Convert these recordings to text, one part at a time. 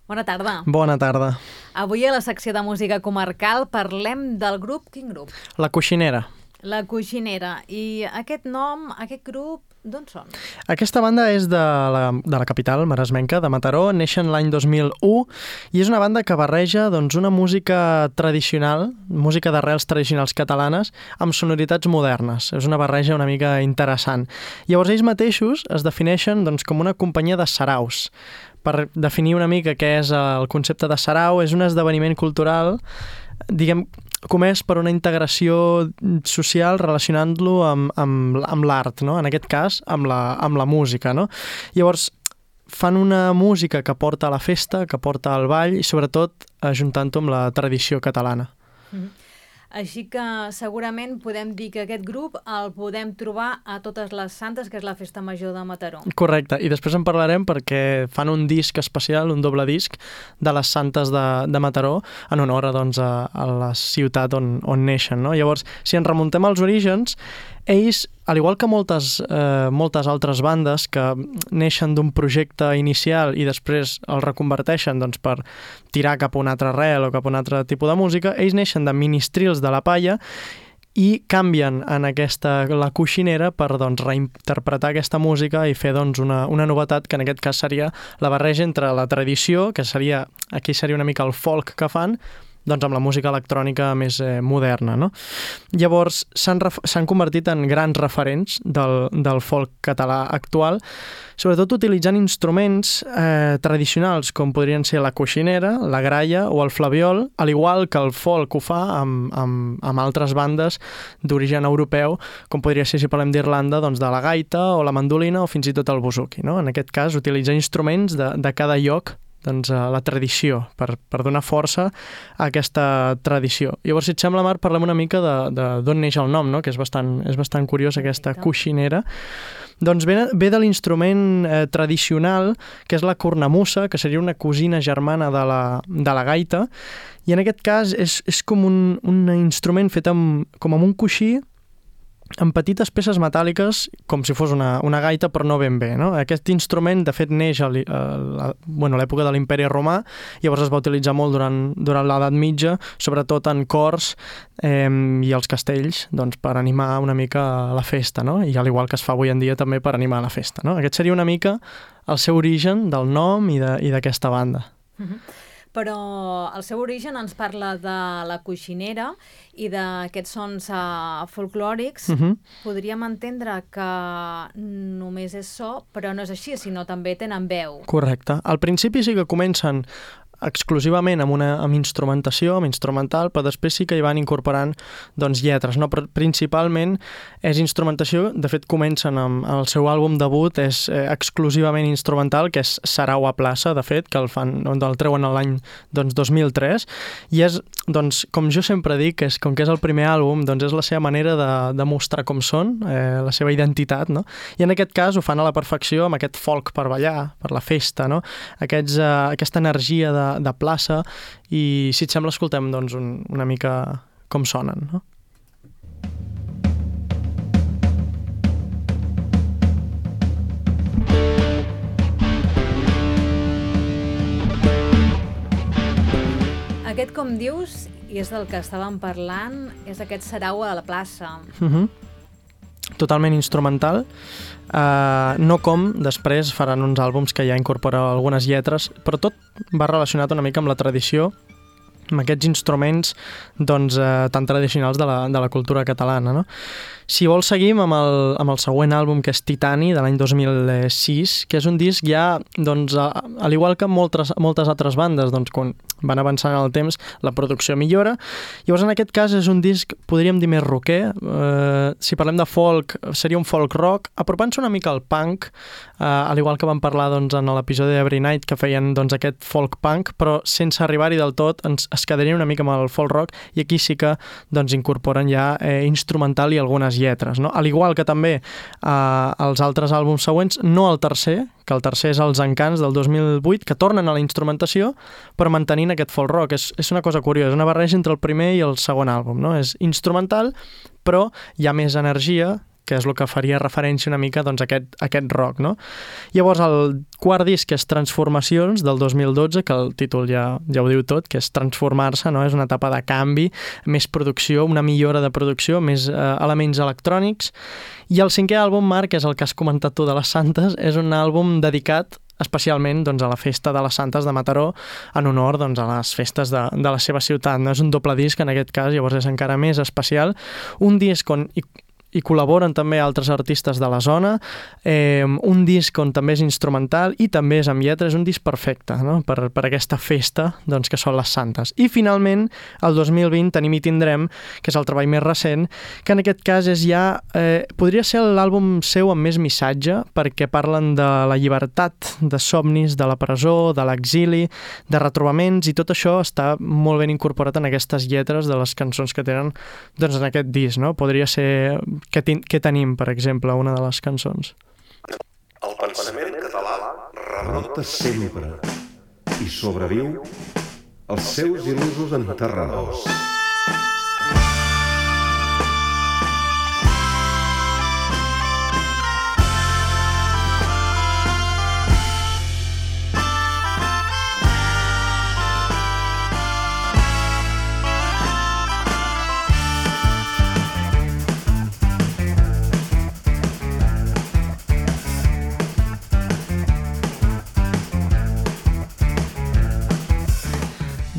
Bona tarda. Bona tarda. Avui a la secció de música comarcal parlem del grup... Quin grup? La Coixinera. La Coixinera. I aquest nom, aquest grup, d'on són? Aquesta banda és de la capital maresmenca, de Mataró, neixen l'any 2001 i és una banda que barreja una música tradicional, música d'arrels tradicionals catalanes, amb sonoritats modernes. És una barreja una mica interessant. Llavors ells mateixos es defineixen com una companyia de saraus. Per definir una mica què és el concepte de sarau, és un esdeveniment cultural, comès per una integració social relacionant-lo amb l'art, no? En aquest cas, amb la música, no? Llavors, fan una música que porta a la festa, que porta al ball i sobretot ajuntant-ho amb la tradició catalana. Així que segurament podem dir que aquest grup el podem trobar a Totes les Santes, que és la festa major de Mataró. Correcte, i després en parlarem perquè fan un disc especial, un doble disc de les Santes de Mataró en honor a la ciutat on neixen, no? Llavors, si ens remuntem als orígens, ells, al igual que moltes altres bandes que neixen d'un projecte inicial i després el reconverteixen per tirar cap a un altre arrel o cap a un altre tipus de música, ells neixen de ministrils de la palla i canvien en la Coixinera per reinterpretar aquesta música i fer una novetat que en aquest cas seria la barreja entre la tradició, que aquí seria una mica el folk que fan, amb la música electrònica més moderna, no? Llavors, s'han convertit en grans referents del folk català actual, sobretot utilitzant instruments tradicionals, com podrien ser la coixinera, la gralla o el flabiol, al igual que el folk ho fa amb altres bandes d'origen europeu, com podria ser, si parlem d'Irlanda, de la gaita o la mandolina o fins i tot el buzuki, no? En aquest cas, utilitzar instruments de cada lloc, la tradició, per donar força a aquesta tradició. Llavors, si et sembla, Marc, parlem una mica d'on neix el nom, no? Que és bastant curiós, aquesta coixinera. Ve de l'instrument tradicional, que és la cornamussa, que seria una cosina germana de la gaita, i en aquest cas és com un instrument fet com amb un coixí, amb petites peces metàl·liques, com si fos una gaita, però no ben bé, no? Aquest instrument, de fet, neix a l'època de l'Imperi Romà, llavors es va utilitzar molt durant l'Edat Mitja, sobretot en cors i els castells, per animar una mica la festa, no? I al igual que es fa avui en dia també per animar la festa, no? Aquest seria una mica el seu origen del nom i d'aquesta banda. Però el seu origen ens parla de la coixinera i d'aquests sons folclòrics. Podríem entendre que només és so, però no és així, sinó també tenen veu. Correcte. Al principi sí que comencen exclusivament amb instrumentació, amb instrumental, però després sí que hi van incorporant lletres, no? Però principalment és instrumentació. De fet, comencen amb el seu àlbum debut, és exclusivament instrumental, que és Sarau a plaça, de fet, que el treuen l'any 2003, i és, com jo sempre dic, com que és el primer àlbum, és la seva manera de mostrar com són, la seva identitat, no? I en aquest cas ho fan a la perfecció amb aquest folk per ballar, per la festa, no? Aquesta energia de plaça, i si et sembla escoltem una mica com sonen, no? Aquest, com dius, i és del que estàvem parlant, és aquest sarau a la plaça. Totalment instrumental, no com després faran uns àlbums que ja incorporen algunes lletres, però tot va relacionat una mica amb la tradició, amb aquests instruments tan tradicionals de la cultura catalana, no? Si vols, seguim amb el següent àlbum, que és Titani, de l'any 2006, que és un disc ja, al igual que moltes altres bandes, quan van avançant en el temps, la producció millora. Llavors, en aquest cas, és un disc, podríem dir, més rocker. Si parlem de folk, seria un folk rock, apropant-se una mica al punk, al igual que vam parlar en l'episodi d'Every Night, que feien aquest folk punk, però sense arribar-hi del tot, es quedarien una mica amb el folk rock, i aquí sí que incorporen ja instrumental i algunes lletres, no? Al igual que també els altres àlbums següents, no el tercer, que el tercer és Els Encants del 2008, que tornen a la instrumentació però mantenint aquest folk rock. És una cosa curiosa, una barreja entre el primer i el segon àlbum, no? És instrumental, però hi ha més energia que és el que faria referència una mica doncs, a aquest rock, no? Llavors, el quart disc és Transformacions, del 2012, que el títol ja ho diu tot, que és transformar-se, no? És una etapa de canvi, més producció, una millora de producció, més elements electrònics. I el cinquè àlbum, Marc, és el que has comentat tu de les Santes, és un àlbum dedicat especialment doncs, a la festa de les Santes de Mataró, en honor doncs, a les festes de la seva ciutat. No? És un doble disc en aquest cas, llavors és encara més especial. Un disc on hi col·laboren també altres artistes de la zona, un disc on també és instrumental i també és amb lletra, és un disc perfecte, no? per aquesta festa doncs, que són les Santes. I finalment, el 2020 tenim i tindrem, que és el treball més recent, que en aquest cas és ja, podria ser l'àlbum seu amb més missatge, perquè parlen de la llibertat, de somnis, de la presó, de l'exili, de retrobaments, i tot això està molt ben incorporat en aquestes lletres de les cançons que tenen doncs, en aquest disc. No? Podria ser... Què tenim, per exemple, una de les cançons? El pensament català rebrota sempre i sobreviu als seus il·lusos enterradors.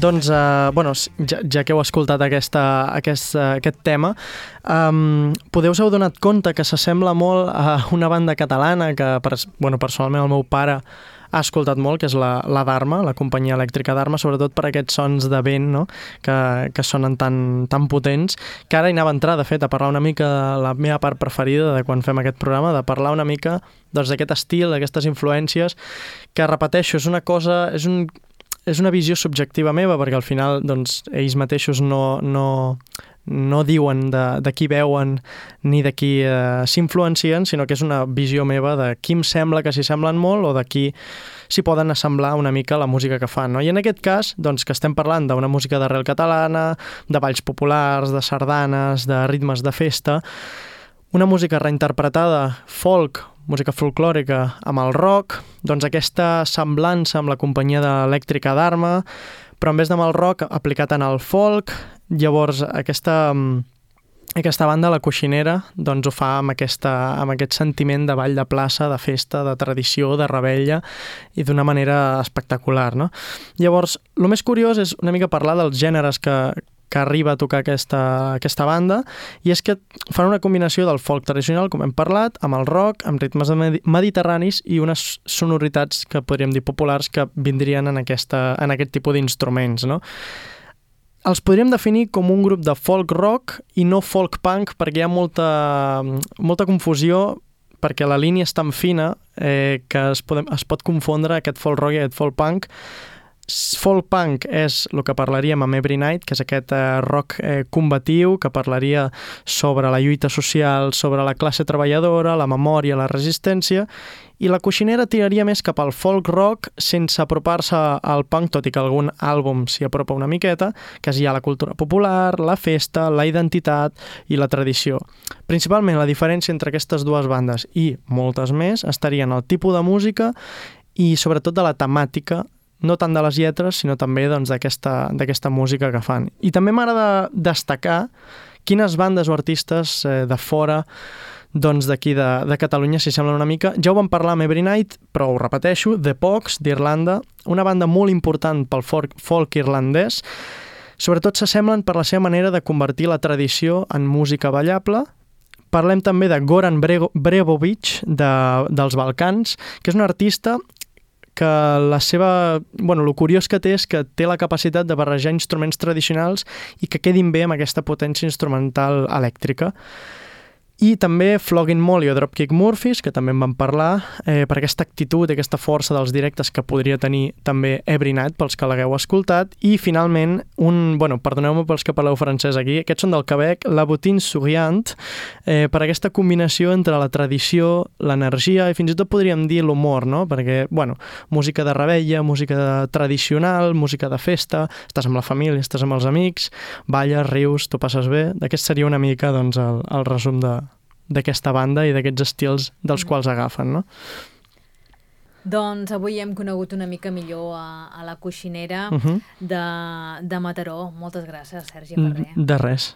Doncs, ja que heu escoltat aquest tema, podeu us heu donat compte que s'assembla molt a una banda catalana que, personalment, el meu pare ha escoltat molt, que és la Dharma, la companyia elèctrica Dharma, sobretot per aquests sons de vent, no? que sonen tan potents, que ara hi anava a entrar, de fet, a parlar una mica de la meva part preferida de quan fem aquest programa, de parlar una mica d'aquest estil, d'aquestes influències, que, repeteixo, és una cosa... És una visió subjectiva meva, perquè al final doncs, ells mateixos no diuen de qui veuen ni de qui s'influencien, sinó que és una visió meva de qui em sembla que s'hi semblen molt o de qui s'hi poden assemblar una mica la música que fan. No? I en aquest cas, doncs, que estem parlant d'una música d'arrel catalana, de balls populars, de sardanes, de ritmes de festa, una música reinterpretada, folk, música folclòrica amb el rock, doncs aquesta semblança amb la companyia d'elèctrica Dharma, però en vez amb el rock aplicat en el folk, llavors aquesta banda, la Coixinera, doncs ho fa amb aquest sentiment de ball de plaça, de festa, de tradició, de revetlla, i d'una manera espectacular. No? Llavors, el més curiós és una mica parlar dels gèneres que arriba a tocar aquesta banda, i és que fan una combinació del folk tradicional, com hem parlat, amb el rock, amb ritmes mediterranis i unes sonoritats que podríem dir populars que vindrien en aquest tipus d'instruments. No? Els podríem definir com un grup de folk rock i no folk punk, perquè hi ha molta confusió, perquè la línia és tan fina que es pot confondre aquest folk rock i aquest folk punk. Folk punk és el que parlaríem amb Every Night, que és aquest rock combatiu que parlaria sobre la lluita social, sobre la classe treballadora, la memòria, la resistència, i la Coixinera tiraria més cap al folk rock sense apropar-se al punk, tot i que algun àlbum s'hi apropa una miqueta, que és ja la cultura popular, la festa, la identitat i la tradició. Principalment la diferència entre aquestes dues bandes i moltes més estaria en el tipus de música i sobretot de la temàtica, no tant de les lletres, sinó també doncs, d'aquesta música que fan. I també m'agrada destacar quines bandes o artistes de fora doncs, d'aquí de Catalunya s'hi semblen una mica. Ja ho vam parlar amb Every Night, però ho repeteixo, The Pogues, d'Irlanda, una banda molt important pel folk irlandès. Sobretot s'assemblen per la seva manera de convertir la tradició en música ballable. Parlem també de Goran Bregovic, dels Balcans, que és un artista que el curiós que té és que té la capacitat de barrejar instruments tradicionals i que quedin bé amb aquesta potència instrumental elèctrica. I també Flogging Molly o Dropkick Murphys, que també en vam parlar, per aquesta actitud i aquesta força dels directes que podria tenir també Every Night, pels que l'hagueu escoltat. I finalment, perdoneu-me pels que parleu francès aquí, aquests són del Quebec, La Bottine Souriant, per aquesta combinació entre la tradició, l'energia i fins i tot podríem dir l'humor, no? Perquè, música de revetlla, música tradicional, música de festa, estàs amb la família, estàs amb els amics, balles, rius, t'ho passes bé. Aquest seria una mica doncs, el resum d'aquesta banda i d'aquests estils dels quals agafen, no? Doncs avui hem conegut una mica millor a la coixinera de Mataró. Moltes gràcies, Sergi Ferrer. De res.